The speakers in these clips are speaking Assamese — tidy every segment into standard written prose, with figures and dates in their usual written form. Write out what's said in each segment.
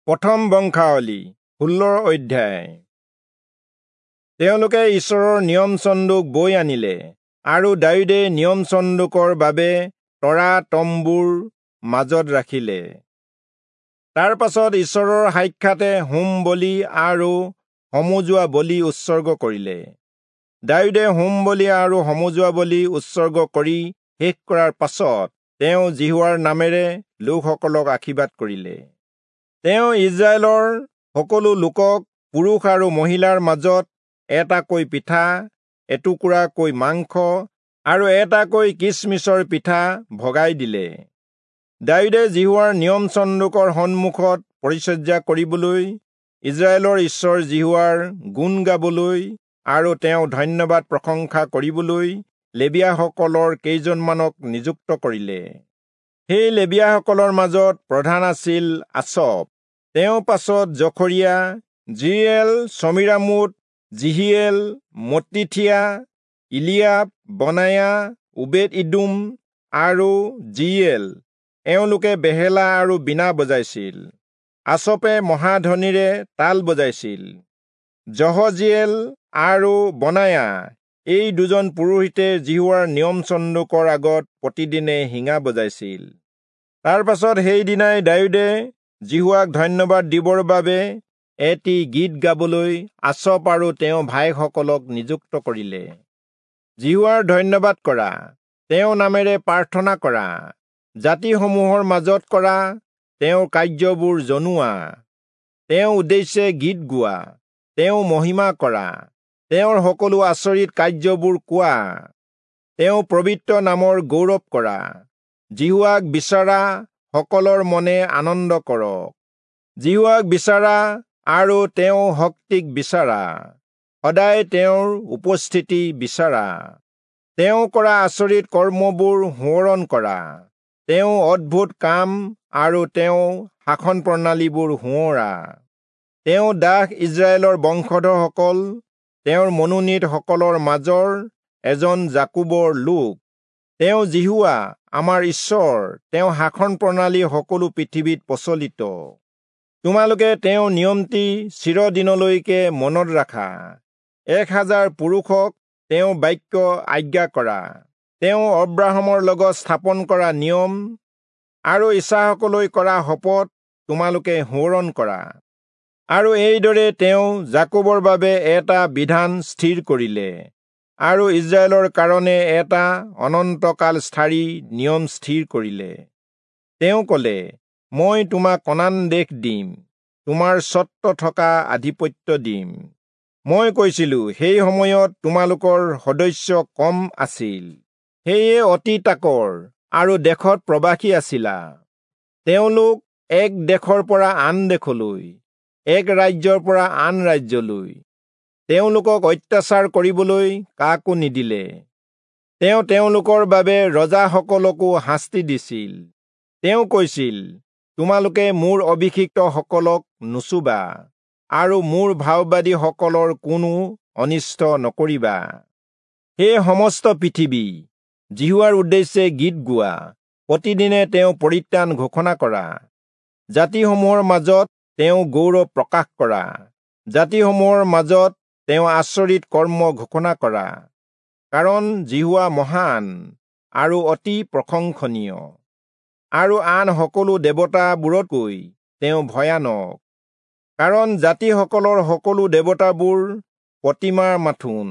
প্ৰথম বংশাৱলী 16 অধ্যায়। তেওঁলোকে ঈশ্বৰৰ নিয়ম চন্দুক বৈ আনিলে আৰু দায়ূদে নিয়ম চন্দুকৰ বাবে তৰা তম্বুৰ মাজত ৰাখিলে। তাৰ পাছত ঈশ্বৰৰ সাক্ষাতে হোম বলি আৰু সমজুৱা বলি উৎসৰ্গ কৰিলে। দায়ূদে হোম বলি আৰু সমজুৱা বলি উৎসৰ্গ কৰি শেষ কৰাৰ পাছত তেওঁ যিহোৱাৰ নামেৰে লোকসকলক আশীৰ্বাদ কৰিলে। তেওঁ ইজৰাইলৰ সকলো লোকক পুৰুষ আৰু মহিলাৰ মাজত এটাকৈ পিঠা, এটুকুৰাকৈ মাংস আৰু এটাকৈ কিচমিচৰ পিঠা ভগাই দিলে। দায়ূদে যিহোৱাৰ নিয়ম চন্দুকৰ সন্মুখত পৰিচৰ্যা কৰিবলৈ, ইজৰাইলৰ ঈশ্বৰ যিহোৱাৰ গুণ গাবলৈ আৰু তেওঁ ধন্যবাদ প্ৰশংসা কৰিবলৈ লেবীয়াসকলৰ কেইজনমানক নিযুক্ত কৰিলে। সেই লেবীয়াসকলৰ মাজত প্ৰধান আছিল আচপ, তেওঁ পাছত জখৰিয়া, জিয়েল, চমিৰামোত, জিহিয়েল, মত্তিথিয়া, ইলিয়াব, বনায়া, ওবেদ ইদোম আৰু জিয়েল। এওঁলোকে বেহেলা আৰু বীণা বজাইছিল। আচপে মহাধ্বনিৰে তাল বজাইছিল। যহজিয়েল আৰু বনায়া এই দুজন পুৰোহিতে যিহোৱাৰ নিয়ম চন্দুকৰ আগত প্ৰতিদিনে শিঙা বজাইছিল। তাৰ পাছত সেইদিনাই দায়ূদে যিহোৱাক ধন্যবাদ দিবৰ বাবে এটি গীত গাবলৈ আচপ আৰু তেওঁ ভাইসকলক নিযুক্ত কৰিলে। যিহোৱাৰ ধন্যবাদ কৰা, তেওঁ নামেৰে প্ৰাৰ্থনা কৰা, জাতিসমূহৰ মাজত কৰা তেওঁৰ কাৰ্যবোৰ জনোৱা, তেওঁ উদ্দেশ্যে গীত গোৱা, তেওঁ মহিমা কৰা, তেওঁৰ সকলো আচৰিত কাৰ্যবোৰ কোৱা, তেওঁ পবিত্ৰ নামৰ গৌৰৱ কৰা। যিহোৱাক বিচৰা সকলৰ মনে আনন্দ কৰক। যিহোৱাক বিচাৰা আৰু তেওঁ শক্তিক বিচাৰা, সদায় তেওঁৰ উপস্থিতি বিচাৰা। তেওঁ কৰা আচৰিত কৰ্মবোৰ সোঁৱৰণ কৰা, তেওঁ অদ্ভুত কাম আৰু তেওঁ শাসন প্ৰণালীবোৰ সোঁৱৰা। তেওঁ দাস ইজৰাইলৰ বংশধৰসকল, তেওঁৰ মনোনীতসকলৰ মাজৰ এজন যাকোবৰ লোক। তেওঁ যিহোৱা আমাৰ ঈশ্বৰ, তেওঁ শাসন প্ৰণালী সকলো পৃথিৱীত প্ৰচলিত। তোমালোকে তেওঁ নিয়মটি চিৰদিনলৈকে মনত ৰাখা। 1000 পুৰুষক তেওঁ বাক্য আজ্ঞা কৰা। তেওঁ অব্ৰাহামৰ লগত স্থাপন কৰা নিয়ম আৰু ইচাহকলৈ কৰা শপত তোমালোকে সোঁৱৰণ কৰা। আৰু এইদৰে তেওঁ যাকোবৰ বাবে এটা বিধান স্থিৰ কৰিলে আৰু ইজৰাইলৰ কাৰণে এটা অনন্তকাল স্থায়ী নিয়ম স্থিৰ কৰিলে। তেওঁ ক'লে, মই তোমাক কনান দেশ দিম, তোমাৰ স্বত্ব থকা আধিপত্য দিম। মই কৈছিলো, সেই সময়ত তোমালোকৰ সদস্য কম আছিল, সেয়ে অতি তাকৰ আৰু দেশত প্ৰবাসী আছিলা। তেওঁলোক এক দেশৰ পৰা আন দেশলৈ, এক ৰাজ্যৰ পৰা আন ৰাজ্যলৈ, তেওঁলোকক অত্যাচাৰ কৰিবলৈ কাকো নিদিলে। তেওঁ তেওঁলোকৰ বাবে ৰজাসকলকো শাস্তি দিছিল। তেওঁ কৈছিল, তোমালোকে মোৰ অভিষিক্তসকলক নুচুবা আৰু মোৰ ভাওবাদীসকলৰ কোনো অনিষ্ট নকৰিবা। হে সমস্ত পৃথিৱী, যিহোৱাৰ উদ্দেশ্যে গীত গোৱা, প্ৰতিদিনে তেওঁ পৰিত্ৰাণ ঘোষণা কৰা। জাতিসমূহৰ মাজত তেওঁ গৌৰৱ প্ৰকাশ কৰা, জাতিসমূহৰ মাজত তেওঁ আচৰিত কৰ্ম ঘোষণা কৰা। কাৰণ যিহোৱা মহান আৰু অতি প্ৰশংসনীয়, আৰু আন সকলো দেৱতাবোৰতকৈ তেওঁ ভয়ানক। কাৰণ জাতিসকলৰ সকলো দেৱতাবোৰ প্ৰতিমাৰ মাথোন,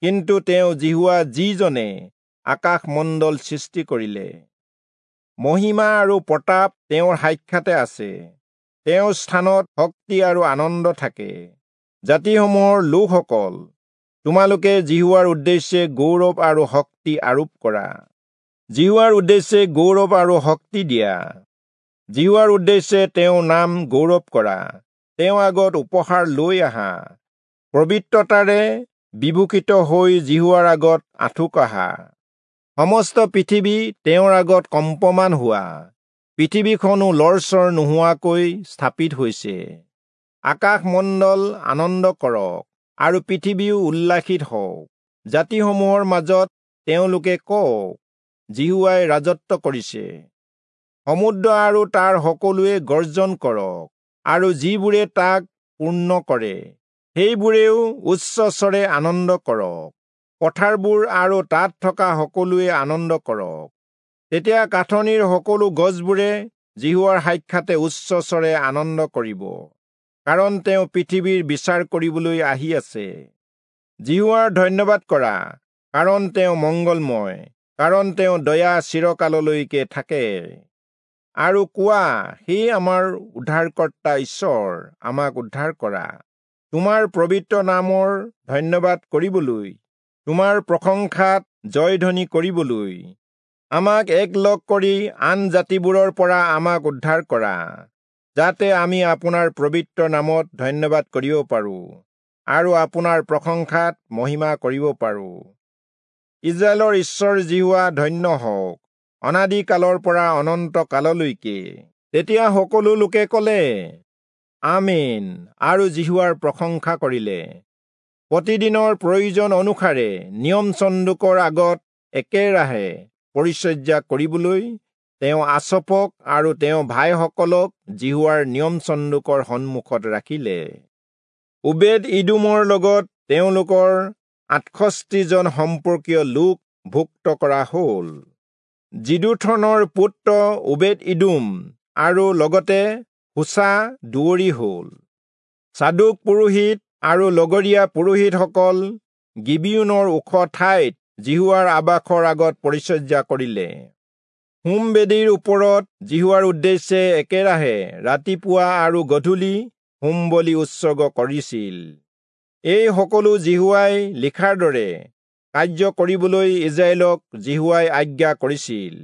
কিন্তু তেওঁ যিহোৱা, যিজনে আকাশমণ্ডল সৃষ্টি কৰিলে। মহিমা আৰু প্ৰতাপ তেওঁৰ সাক্ষাতে আছে, তেওঁৰ স্থানত শক্তি আৰু আনন্দ থাকে। জাতিসমূহৰ লোকসকল, তোমালোকে যিহোৱাৰ উদ্দেশ্যে গৌৰৱ আৰু শক্তি আৰোপ কৰা। যিহোৱাৰ উদ্দেশ্যে গৌৰৱ আৰু শক্তি দিয়া। যিহোৱাৰ উদ্দেশ্যে তেওঁৰ নাম গৌৰৱ কৰা। তেওঁ আগত উপহাৰ লৈ আহা, পবিত্ৰতাৰে বিভূষিত হৈ যিহোৱাৰ আগত আঁঠু কঢ়া। সমস্ত পৃথিৱী তেওঁৰ আগত কম্পমান হোৱা, পৃথিৱীখনো লৰচৰ নোহোৱাকৈ স্থাপিত হৈছে। আকাশমণ্ডল আনন্দ কৰক আৰু পৃথিৱীও উল্লাসিত হওক। জাতিসমূহৰ মাজত তেওঁলোকে কওক, যিহোৱাই ৰাজত্ব কৰিছে। সমুদ্ৰ আৰু তাৰ সকলোৱে গৰ্জন কৰক। আৰু যিবোৰে তাক পূৰ্ণ কৰে, সেইবোৰেও উচ্চস্বৰে আনন্দ কৰক। পথাৰবোৰ আৰু তাত থকা সকলোৱে আনন্দ কৰক। তেতিয়া কাঠনিৰ সকলো গছবোৰে যিহোৱাৰ সাক্ষাতে উচ্চস্বৰে আনন্দ কৰিব, কাৰণ তেওঁ পৃথিৱীৰ বিচাৰ কৰিবলৈ আহি আছে। যিহোৱাৰ ধন্যবাদ কৰা, কাৰণ তেওঁ মংগলময়, কাৰণ তেওঁ দয়া চিৰকাললৈকে থাকে। আৰু কোৱা, হে আমাৰ উদ্ধাৰকৰ্তা ঈশ্বৰ, আমাক উদ্ধাৰ কৰা। তোমাৰ পবিত্ৰ নামৰ ধন্যবাদ কৰিবলৈ, তোমাৰ প্ৰশংসাত জয়ধ্বনি কৰিবলৈ আমাক একলগ কৰি আন জাতিবোৰৰ পৰা আমাক উদ্ধাৰ কৰা, যাতে আমি আপোনাৰ পবিত্ৰ নামত ধন্যবাদ কৰিব পাৰোঁ আৰু আপোনাৰ প্ৰশংসাত মহিমা কৰিব পাৰোঁ। ইস্ৰায়েলৰ ঈশ্বৰ যিহোৱা ধন্য হওক, অনাদি কালৰ পৰা অনন্ত কাললৈকে। তেতিয়া সকলো লোকে ক'লে, আমেন, আৰু যিহোৱাৰ প্ৰশংসা কৰিলে। প্ৰতিদিনৰ প্ৰয়োজন অনুসাৰে নিয়ম চন্দুকৰ আগত একেৰাহে পৰিচৰ্যা কৰিবলৈ তেওঁ আচফক আৰু তেওঁ ভাইসকলক যিহোৱাৰ নিয়ম চন্দুকৰ সন্মুখত ৰাখিলে। ওবেদ ইদোমৰ লগত তেওঁলোকৰ 68 জন সম্পৰ্কীয় লোক ভুক্ত কৰা হ'ল। যিদুথনৰ পুত্ৰ ওবেদ ইদোম আৰু লগতে হোচা দুৱৰী হ'ল। চাদোক পুৰোহিত আৰু লগৰীয়া পুৰোহিতসকল গিবিয়োনৰ ওখ ঠাইত যিহোৱাৰ আবাসৰ আগত পৰিচৰ্যা কৰিলে। হোম বেদীৰ ওপৰত যিহোৱাৰ উদ্দেশ্যে একেৰাহে ৰাতিপুৱা আৰু গধূলি হোম বলি উৎসৰ্গ কৰিছিল। এই সকলো যিহোৱাই লিখাৰ দৰে কাৰ্য কৰিবলৈ ইস্ৰায়েলক যিহোৱাই আজ্ঞা কৰিছিল।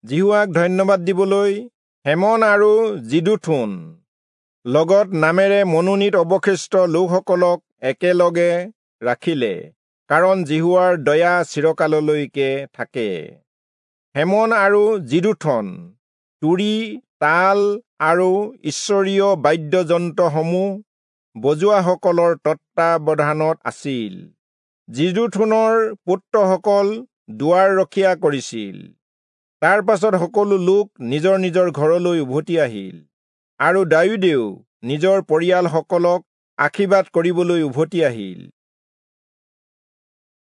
যিহোৱাক ধন্যবাদ দিবলৈ হেমন আৰু যিদুথুন লগত নামেৰে মনোনীত অৱশিষ্ট লোকসকলক একেলগে ৰাখিলে, কাৰণ যিহোৱাৰ দয়া চিৰকাললৈকে থাকে। হেমন আৰু যিদুথন তুৰী, তাল আৰু ঈশ্বৰীয় বাদ্যযন্ত্ৰসমূহ বজোৱাসকলৰ তত্বাৱধানত আছিল। যিদুথুনৰ পুত্ৰসকল দুৱাৰ ৰখীয়া কৰিছিল। তাৰ পাছত সকলো লোক নিজৰ নিজৰ ঘৰলৈ উভতি আহিল, আৰু দায়ূদেও নিজৰ পৰিয়ালসকলক আশীৰ্বাদ কৰিবলৈ উভতি আহিল।